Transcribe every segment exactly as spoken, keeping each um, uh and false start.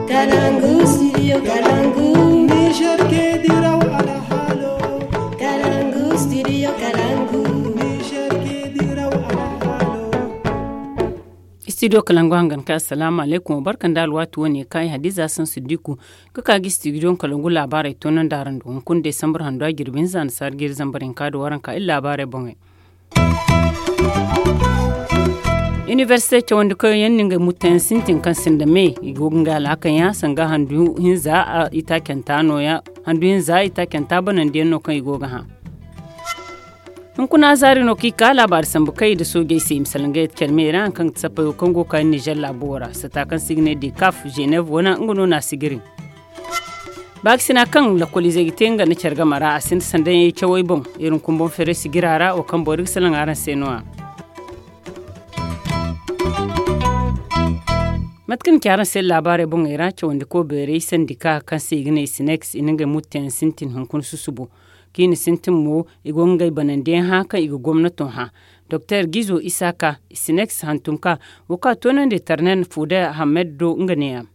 Kalangu studio kalangu. Niger ke diraw alhalo. Kalangu studio kalangu. Niger ke diraw alhalo. Studio kalangu hangan ka assalamu alaikum, barkan da alwatu wane kai hadiza san siddiku. Ga ka ga studio kalangu labarai tonon daran do hunkun desambar hando a jirbi hinza na sargir zambarin ka da waranka illa labarai bongai. Université cawandi koyo yaŋ no ngey mutto yaŋ sintin kaŋ sinda me i go ga ngey alhakaŋ yaŋ sanga handu hinza. Itaacanta no ya handu hinza itaacanta banandi yaŋ no kaŋ i go ga hã. Hunkuna zaari no kaŋ i ka laabaari sambu kay nda soojey se i ma salaŋ ga yadda care me ra hari kaŋ ga ti sappey wo kaŋ go ga ka nizer laabo ra sata kaŋ se i ga ne dekaf, zenève wane nga no na a sigiri. Baakasina kaŋ lakkoliizey ga te nga nda care game ra a sinda sandayaŋ cawey boŋ. Iri hunkuna boŋ feeray sigira ra wo kaŋ boro ga salaŋ araŋ se no- ya. Mate kaŋ ni ci araŋ se laabaarey boŋey ra cawandi ko beerey sandika kaŋ se i ga ne sinex i na ngey mutteyaŋ sintin hunkuna susubo. Kaŋ i na sintin mo i go ga ngey banandiyaŋ hã kaŋ i ga gomnato hã. Doktor gizo isaka sinex hantum ka wo kaŋ a toonandi tarnen fuuda hamed do nga neeyaŋ.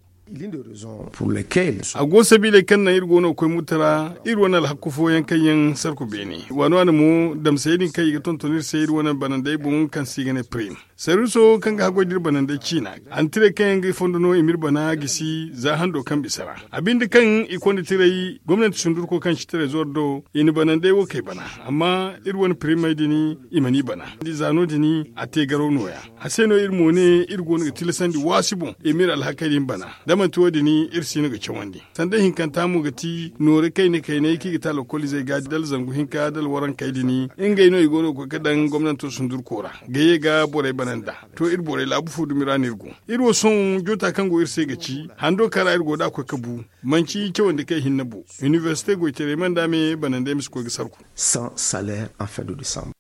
A go sabiiley kaŋ naŋ iri go no ga koy muta ra iri wane alhakku fooyaŋ kaŋ yaŋ sarku beene waani waani mo damsey din kaŋ i ga tonton iri se iri wane banandey boŋ kaŋ se i ga ne prim. Sarwiso kaŋ ga haggoy da iri banandey ciina antirey kaŋ yaŋ ga fondo no i ma iri bana gisi za hando kaŋ bisa ra a binde kaŋ i konda tirey gomnanti sundurko kaŋ ci tirey zoro do i na banandey wo kay bana. Amma iri wane pirimey din i mana i bana za no- din a te garaw nooya. A se no iri mo ne iri go no ga tilasandi waasi boŋ i ma iri alhakey din bana. Da manti wo- din iri si no ga cawandi sanda hinkanta mo ga ti noori kayna kaynay kaŋ i ga ta lokoliizey ga da alzangu hinka da alwarankey din ngey no i go no ga koy ga daŋ gomnanto sundurko ra ga ye ga borey bana nd'a. To iri borey laabu fo dumi ra no iri go. Iri wo sohõ joota kaŋ go iri se ga ci hando kaŋ ra iri go nd'a koy ga bu manci cawandi kay hinne bo. Inibersite goytaray mana nd'a me banandey ma si koy ga sarku. Sans salaire en fin de décembre.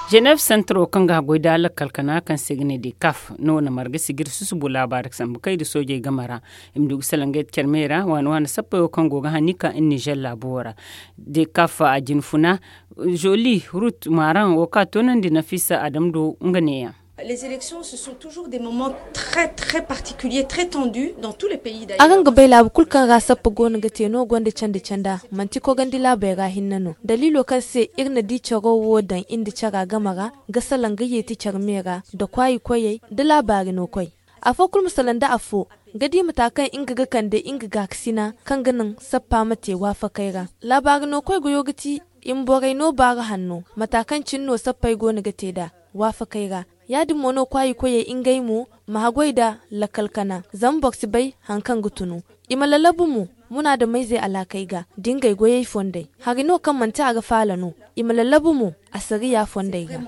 Zenève sentro kaŋ ga haggoy da lakkal kana kaŋ se ga ne dekaf no na marga sigir susubo laabaari sambu kay nda soojey game ra. I ma du ga salaŋ ga yadda care me ra waani waani sappey wo kaŋ go ga hani ka nizer laabo wo ra. Dekaf a jina funa zoli rut maran wo kaŋ a toonandi nafisa adam do nga neeyaŋ. Les élections ce sont toujours des moments très très particuliers très tendus dans tous les pays. Araŋ ga bay laabu kulu kaŋ ra sappa go no ga te no gonda candi canda manti kogandi laabey ra hinne no daliilo kaŋ se iri na di caro wo daŋ iri nda cara game ra ga salaŋ ga yeeti care me ra nda kwaayi koyey nda laabaari no koy. Afo kulu ma salaŋ nda afo ga di mata kaŋ nga ga kande nga gaakasina kaŋ ga naŋ sappa ma te waafakey ra. Laabaari no koy goyo ga ti i ma borey no baaru hanno mata kaŋ cine no sappey go no ga te nd'a waafakey ra. Ya- din mo no kwaayi koyey ngey mo ma haggoy nda lakkal kana zama boro si bay hari kaŋ ga tunu. I ma lallabu mo munaadamayzey alaakey ga da ngey goyey fondey hari no kaŋ manti a ga faala no. I ma lallabu mo asariya fondey ga.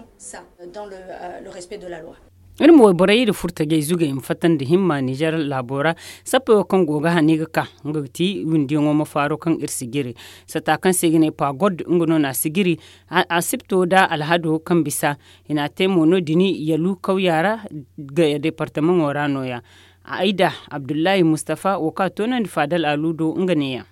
Iri ma wayborey iri furtajey zugey ma fatta nda himma nizer laabo ra. Sappey wo kaŋ go ga hani ga ka nga ga ti windiyaŋo ma faaro kaŋ iri si jire sata kaŋ se i ga ne pagod nga no na a si jiri. Asipto nda alhado kaŋ bisa i n'a te mo no- din yalu kawya ra ga departamaŋo ra nooya. Ayda abdullahi mustafa wo kaŋ a toonandi faadal alu do nga neeyaŋ.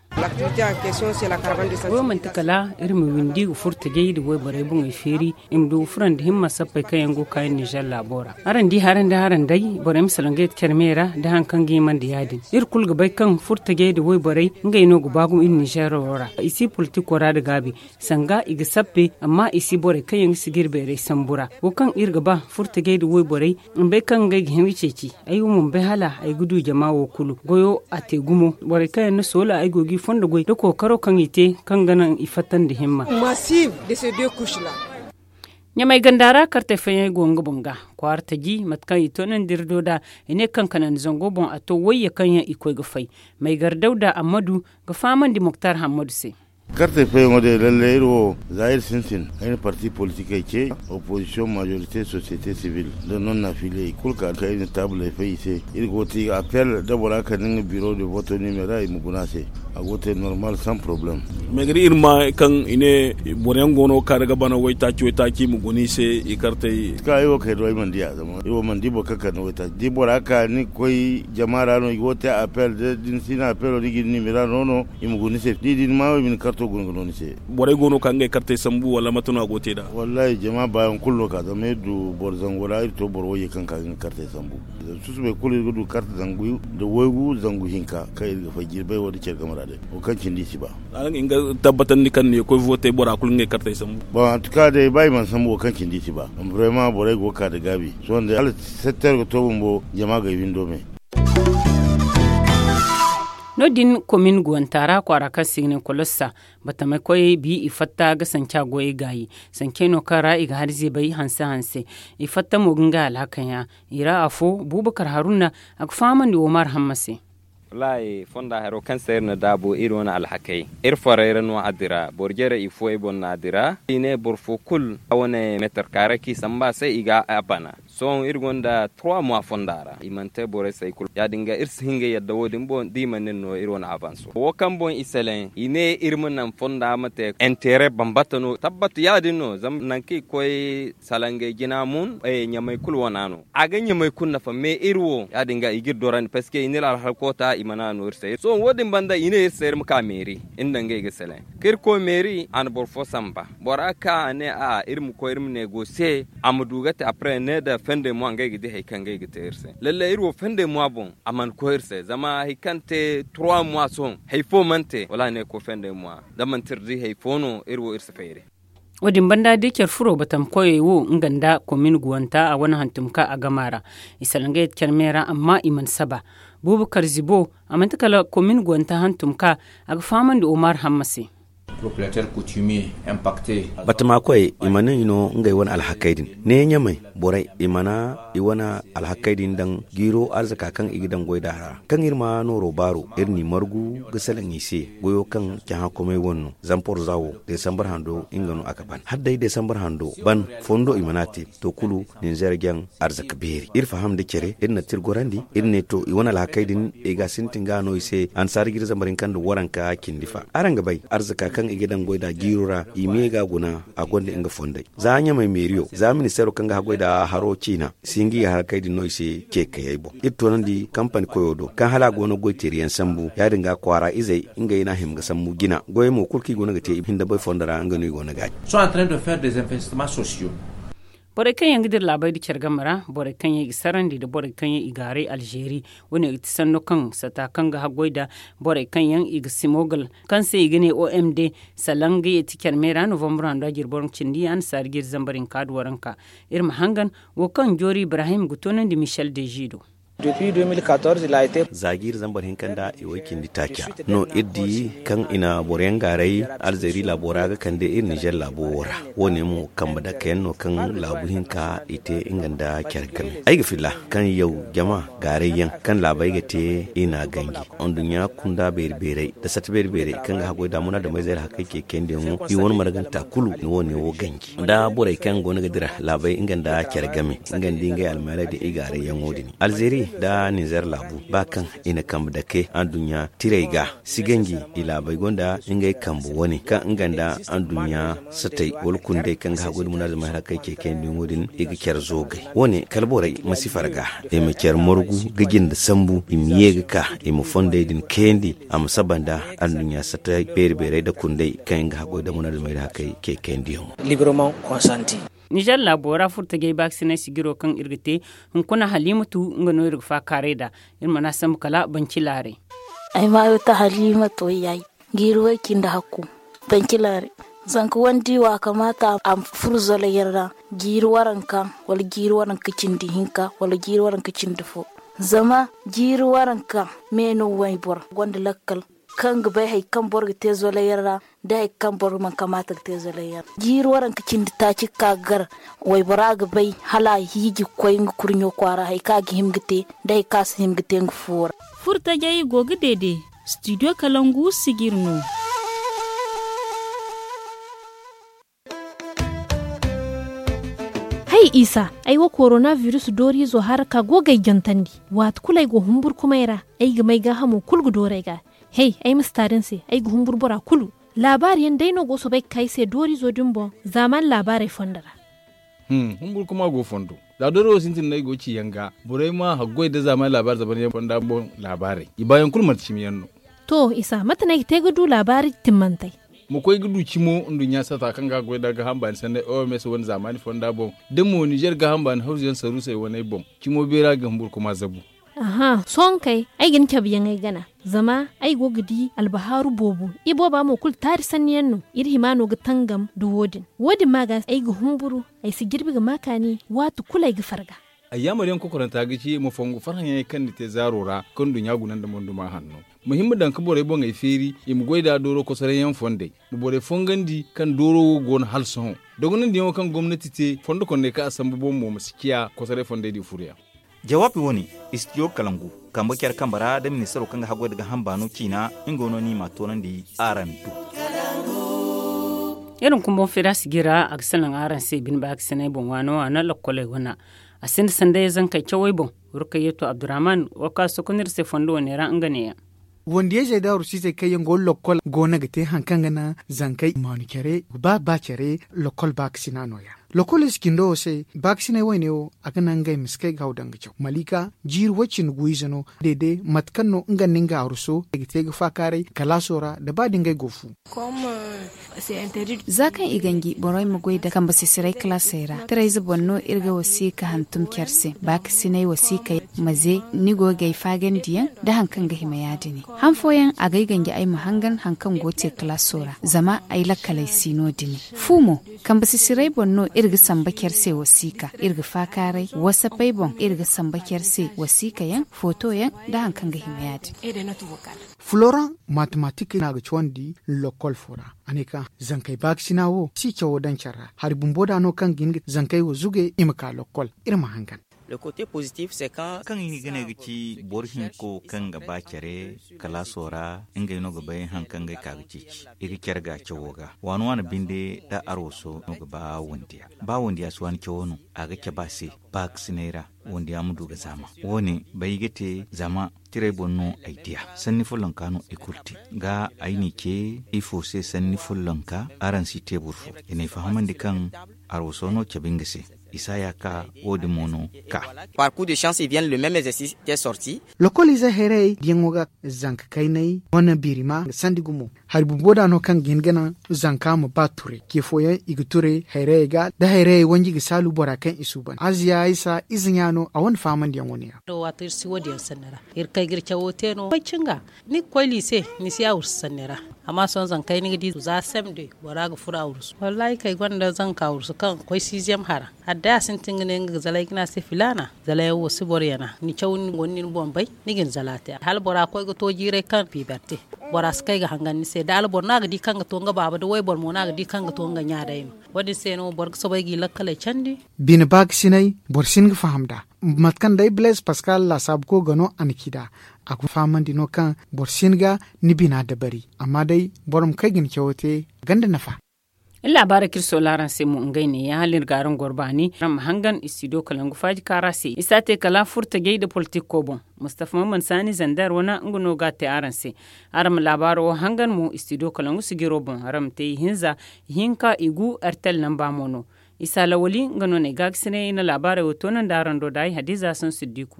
Wo manti kala iri ma windi ga furtajey nda wayborey boŋey feeri i ma du ga furandi himma sappey kaŋ yaŋ go ga ka iri nizer laabo ra. Araŋ di haray nda haray day borey ma salaŋ ga yadda care me ra nda hari kaŋ ga hima nda ya- din iri kulu ga bay kaŋ furtajey nda wayborey ngey no ga ba gumo iri nizer wo ra i si politiko ra nda gaabi. Sanga i ga sappe amma i si borey kaŋ yaŋ ga si ga iri beeray sambu ra wo kaŋ iri ga ba furtajey nda wayborey. Ma bay kaŋ ngey ga hin ga ceeci ay wo mana bay hala ay ga du jama wo kulu goyo a te gumo borey kaŋ yaŋ na soola ay go ga i fondo goy nda kookaro kaŋ i te kaŋ ga naŋ i fatta nda himma. Ɲamay ganda ra kartey fooyaŋ ay go nga boŋ ga kwaara taji mate kaŋ i toonandi iri do nd'a. I ne kaŋ kanandi zango boŋ a to wayye kaŋ yaŋ i koy ga fay. Maygar dawda ammadu ga fahamandi moktar hammadu se. Kartey fooyaŋo day lalle iri wo za iri sintin ay na parti politikey ce, opozisiyoŋ majorite sosiyete sibil nda non na filiyey kulu ka kaŋ iri na taabuley fay i se. Iri go ga te i ga appel da bora kaŋ na nga biro de voto nimera i ma guna a se. A go te normal sans problème. Mais gari iri ma kaŋ i ne boro yaŋ go no ga ka daga bana waytaaci waytaaci i ma guna i se i kartey. Ka ay wo kay do ay mana di a zama ay wo mana di boro kaŋ kande waytaaci da i bora ka ni ga koy jama ra no i go te appel da ni si na appel wo ni ga ni nimera no no i ma guna ni se da i di ni ma wo i ma ni karto guna ga no ni se. Borey go no ka ngey kartey sambu wala mate no a go te nd'a? Wallahi jama baayaŋ kulu no ka zama iri du boro zango ra iri to boro wayye kaŋ ka ga nga kartey sambu. Susubay kulu iri ga du karte zangu nda waygu zangu hinka kaŋ iri ga fay jirbay wo nda care game ra day wo kaŋ cindi i si ba. Araŋ ga hin ga tabbatandi kaŋ ne koy vootey bora kulu ngey kartey sambu. Bon en tout cas day ba i mana sambu wo kaŋ cindi i si ba. Vraiment borey go ga ka nda gaabi sohõ day hala setter ga to bumbo jama ga ay windo me. No- din komin guwanta ra kwaara kaŋ se i ga ne kolossa, batamey koy bi i fatta ga sanca goyey gaayi. Sancey no kaŋ ra i ga hari zeebay hanse hanse. I fatta mo ga ngey alhakey hã. I ra afo bubakar haruna, a ga fahamandi omar hamma se. Wallaahi fonda haro kaŋ se iri na daabu iri wane alhakey, iri forey ra no a dira boro jare i fo i boŋ no a dira i ne boro fo kulu a wane meetar kaaray kaŋ i samba se i ga a bana. Sohõ iri gonda trois mois fonda ra i mana te borey se hari kulu ya- din ga iri si hin ga yadda wo- din boŋ da i mana iri no iri wane avanso wo kaŋ boŋ i seleŋ i ne iri ma naŋ fonda ma te intere bambata no tabbata ya- din no zama nangu kaŋ i koy salangey jina mun ɲamey kulu wana no a ga ɲamey kulu nafa mais iri wo ya- din ga i ga iri dorandi parceque i na iri alhal koota i mana no iri se sohõ wo- din banda i ne iri se iri ma ka meeri iri nda ngey ga seleŋ kaŋ iri koy meeri a na boro fo samba bora ka a ne a iri ma koy iri ma ne go se a ma du ga te après ne da fende mo ngey ga di hari kaŋ ngey ga te iri se lalle iri wo fende mo boŋ a mana koy iri se zama hari kaŋ te trois mois sohõ hari fo mana te wala a ne koy fende mo da manti iri di hari fo no iri wo iri si fayre. Wo- din banda da care furo batam koyey wo nga nda komin guwanta a wane hantum ka a gama ra. I salaŋ ga yadda care me ra amma i mana saba. Bubakar zibo a manti kala komin guwanta hantum ka a ga fahamandi omar hamma se. Batama koyey i mana i no ngey wane alhakey din ne ɲamey borey i mana i wane alhakey din daŋ jiiro arzaka kaŋ i ga daŋ goy da ra kaŋ iri ma nooro baaro iri n'i margu ga salaŋ i se goyo kaŋ cahãkomey wane no. Zamporza wo desambar hando nga no a ga ban hala day desambar hando ban fondo i mana te. To kulu ninzeer jaŋ arzaka beeri iri faham nda care iri na ti iri gorandi iri ne to i wane alhakey din i ga sintin ga no i se annasaara jiiri zambar hinka nda waranka cindi fa araŋ ga bay arzaka kaŋ i ga daŋ goy nd'a jiiro ra i ma ye ga a guna a gonda nga fondey za ɲamey meeriyo za ministeero kaŋ ga haggoy nd'a haro ciina si hin ga i ga harakey din no i se ceekayey boŋ iri toonandi kampani koyo do kaŋ hala a go no goy teeriyaŋ sambu ya- din ga kwaara izey ngey no a hima ga sambu jina goyey mo kulu kaŋ i go no ga te i hinda bay fondo ra nga no i go no ga a ci. Borey kaŋ yaŋ ga dira laabey nda care game ra borey kaŋ yaŋ i ga sarandi nda borey kaŋ yaŋ i gaaray alzeeri wo- ne ga ti sanno kaŋ sata kaŋ ga haggoy nda borey kaŋ yaŋ i ga simogal kaŋ se i ga ne omd. Salaŋ ga ye ti care me ra novambur hando a jiri boro cindi annasaara jiri zambar hinka nda waranka. Iri ma hangan wo kaŋ joori ibrahim ga toonandi michel deji do. Za jiiri zambar hinka nda i way cindi taaca no iri di kaŋ i na boro yaŋ gaaray alzeeri laabo ra ga kande iri nizer laabo wo ra. Wo- ne mo kambe dake yaŋ no kaŋ laabu hinka i te nga nda care game ay ga filla kaŋ yaw jama gaaray yaŋ kaŋ laabey ga te i n'a ganji anduɲɲa kunda beeri beerey nda sata beeri beerey kaŋ ga haggoy da munaadamey zeeri hakkey ceecendiyaŋo i wane marganta kulu ni wo- ne wo ganji nda borey kaŋ go no ga dira laabey nga nda care game nga nda ngey almaaley da i gaaray yaŋo din alzeeri nda ninzeer laabu ba kaŋ i na kambe dake anduɲɲa tirey ga si ganji i laabey gonda ngey kambe wane kaŋ nga nda anduɲɲa satey wala kundey kaŋ ga haggoy da munaadamey harakey ceecendiyaŋo din i ga care zoogay wo- ne kala borey ma si farga i ma care margu ga jinde sambu i ma ye ga ka i ma fondey din kayandi a ma saba nda anduɲɲa satey beeri beerey nda kundey kaŋ yaŋ ga haggoy da munaadamey da hakkey ceecendiyaŋo. Nizer laabo ra furtajey baakasinay sijiro kaŋ iri ga te hunkuna halimatu nga no iri ga faakaaray nd'a. Iri mana sambu kala banci laaray. Ay maayo ta halimatu wayyaay jiiri way cindi hakku banci laaray. Zanka wandi wa kamaata a ma furo zolay yaŋ ra jiiri waranka wala jiiri waranka cindi hinka wala jiiri waranka cindi fo. Zama jiiri waranka me no wayboro gonda lakkal kaŋ ga bay hari kaŋ boro ga te zolay yaŋ ra da hari kaŋ boro mana kamaata ga te zolay yaŋ ra jiiri waranka cindi taaci ga ka ga gar waybora ga bay hala a hiiji ga koy nga kurɲo kwaara hari kaŋ a ga hima ga te da hari kaŋ a si hima ga te nga fuwo ra. Furtajey go ga deede. Studio kalangu sijir no. Hay isa, ay wo korona virus dooriizo hara ka go ga ay jantandi. Waati kulu ay go humburkumay ra, ay ga may gaahamo kulu ga dooru ay ga. Hey, ay ma si ta din se, ay ga humburu bora kulu. Laabaari yaŋ day no go soobay ga ka ay se dooriizo din boŋ. Zaamaani laabaarey fondo ra. Humburu kuma go fondo. Za doori wo sintin no ay go ci yaŋ ga borey ma haggoy nda zaamaani laabaari zaban yaŋ fonda boŋ laabaarey i baayaŋ kulu manti cimi yaŋ no. To isa mate no ay ga te ga du laabaari timmantey? Ma koy ga du cimo nduɲɲa saata kaŋ ga goy nda gaaham baani sanney oms wane zaamaani fonda boŋ, da mo nizer gaaham baani hawzu yaŋ saruusey waney boŋ. Cimo beera ga humburu kuma zabu. Aha sohõ kay, ay ga ni cabe yaŋ ay gana. Zama ay go ga di albahaaru boobo. Ibooba mo kulu taari sanni yaŋ no. Iri hima no ga tangam nda wo- din. Wo- din ma ga ay ga humburu. Ay si jirbi ga ma kaani waati kulu ay ga farga. Ay yaamar yaŋ kokoranta ga ci ma fongu farhã yaŋey kaŋ ni te zaaro ra, kaŋ nduɲɲa guna nda monduma hanno. Ma hima daŋ ga borey boŋey feeri i ma goy nd'a dooro kosoray yaŋ fondey. Ma borey fongandi kaŋ dooro wo go no hala sohõ. Dogonandiyaŋo kaŋ gomnati te fondo kondey kaŋ a sambu boŋ mo ma si ciya kosoray fondey din furo yaŋ. Jawaabi wo- ne, istidiyo kalangu kambe care kambe ra nda ministaro kaŋ ga haggoy nda gaaham baano ciina. Nga no no i m'a toonandi araŋ do. Iri hunkuna boŋ feera sijira a ga salaŋ araŋ se bine baakasinay boŋ waano waano lokkoley wana. A sinda sanday zankey cawey boŋ. Rukayyeeto abdurrahman wo kaŋ a sokonda iri se fondo wane ra nga neeyaŋ. Wandiyayzey nda arusiizey kaŋ yaŋ go lokkol go no ga te hari kaŋ ga naŋ zankey maanu care ba ba care. Lokkol baakasina nooya. Lokkol ize cindo wo se baakasinay wayne wo a ga naŋ ngey ma si kay ga haw daŋ ga caw malika jiiri way- cindi gu ize no. Deede mate kaŋ no nga nda nga aruso i ga te ga faakaaray kalaaso ra nda ba da ngey go fu. Za kaŋ i ganji borey ma goy nda kambe sisiray kalaasey ra tirayze boŋ no iri ga wasiika hantum care se baakasinay wasiika yaŋ ma ze ni go ga ay faagandiyaŋ nda hari kaŋ ga hima ya- din. Han fooyaŋ a ga ay ganji ay ma hangan hari kaŋ go ga te kalaaso ra zama ay lakkaley si no- din. Fu mo kambe sisiray boŋ no iri ga samba care se wasiika iri ga faakaaray wasapey boŋ iri ga samba care se wasiika yaŋ footo yaŋ nda hari kaŋ ga hima ya- din. Floran matematik no a ga cawandi lokkol fo ra. A ne kaŋ zankey baakasina wo si cawo daŋ care ra hari bumbo da no kaŋ ga hin ga zankey wo zuge i ma ka lokkol. Iri ma hangan. Kaŋ i ga ne ga ci boro hinko kaŋ ga ba care kalaaso ra ngey no ga bay hari kaŋ ga ay ka ga ceeci i ga care ga cawo ga waani waani binde da arwaso no ga ba wandiya. Ba wandiya si waani cawo no a ga cabe a se baakasinay ra. Wandiya ma du ga zaama wo- ne bay ga te zama tiray boŋ no ay diya sanni follonka no i kulu te ga ay n'i ce ifo se sanni follonka araŋ si te boro fo i n'ay fahamandi kaŋ arwaso no cabe nga se. Isaaya ka wo- din mo no ka. Par coup de chance i vienne le même exercice te sorti. Lokol ize hayrayey diyaŋo ga zanka kaynay wane birima sandi gumo hari bumbo da no kaŋ ga hin ga naŋ zanka ma ba turay ce fooyaŋ i ga turay hayrayey ga da hayrayey wanji ga saalu bora kaŋ i suuban aziya isa ize ɲa no a wane faamandiyaŋo ne ya. Waato iri si wo- din yaŋ sanni ra iri kay ga iri cawo te no koy cinga ni ga koy liise ni si a wursu sanni ra. Amma sohõ zankey ni ga di za semde bora ga furo a wursu wallaahi kay gonda zanka wursu kaŋ ga koy siiziyam hara. Hala day a sintin ga ne nga ga zalay ga ne a se filaana zalayaŋ wo si boro yana ni caw ni guna ni boŋ bay. Ni ga ni zala te hala bora koy ga to jiiray kaŋ fiibar te. Bora si kay ga hangan ni se da alboro no a ga di kaŋ ga to nga baaba da wayboro mo no a ga di kaŋ ga to nga ɲa day no. Wo- din se no boro ga soobay g'i lakkaley candi. Bine baakasinay boro si hin ga faham nd'a. Mate kaŋ day blaise pascal laasaabuko ga no a na ci nd'a. A ga fahamandi no kaŋ boro si hin ga ni bina dabari amma day boro ma kay ga ni cawo te ganda nafa. Iri laabaarey kaŋ iri soola araŋ se mo ngey neeya hala iri ga araŋ goro baani araŋ ma hangan istidiyo kalangu faaji kaara se i si a te kala furtajey nda politiko boŋ. Mustafa maman saani zander wane nga no ga a te araŋ se. Araŋ ma laabaaro wo hangan mo istidiyo kalangu sijiro boŋ araŋ ma te ihinza ihinka igu artel namba mo no. Isa lawali nga no na ay gaagasinay ay na laabaarey wo toonandi araŋ do da ay hadiza sansiddiku.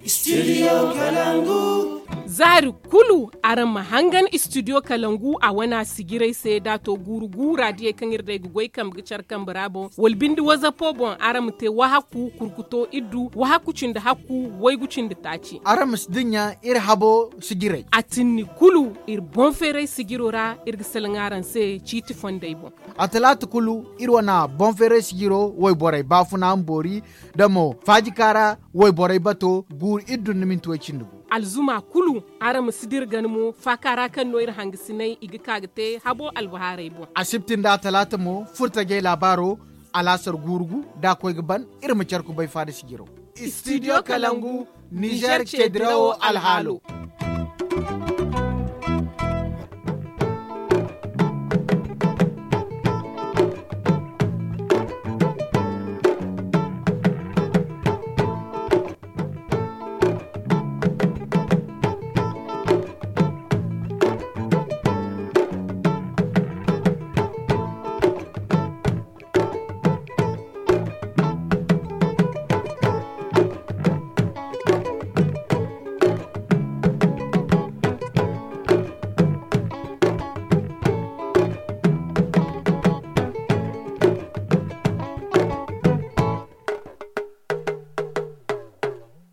Zaari kulu araŋ ma hangan istidiyo kalangu a wana sijiray se da a to guuru guura diyey kaŋ iri day ga goy kambe ga care kambe ra boŋ wala binde wazapo boŋ araŋ ma te wahakku kurkuto iddu wahakku cindi hakku waygu cindi taaci. Araŋ ma si dinya iri habo sijiray a tinni kulu iri boŋ feeray sijiro ra iri ga salaŋ araŋ se ciiti fondey boŋ. A talaata kulu iri wane boŋ feeray sijiro wayborey baafuna ma boori da mo faajika ra wayborey bato guuru iri dun ni minti way cindi gu. Alzuma kulu araŋ ma si dira gana mo faaka ra kaŋ no iri hangasinay i ga ka ga te habo albahaarey boŋ. Asibti nda atalaata mo furtajey laabaaro alaasar guuru gu da a koy ga ban iri ma care kubay faada sijiro. Istidiyo kalangu nizer ce dirawo alhaalo.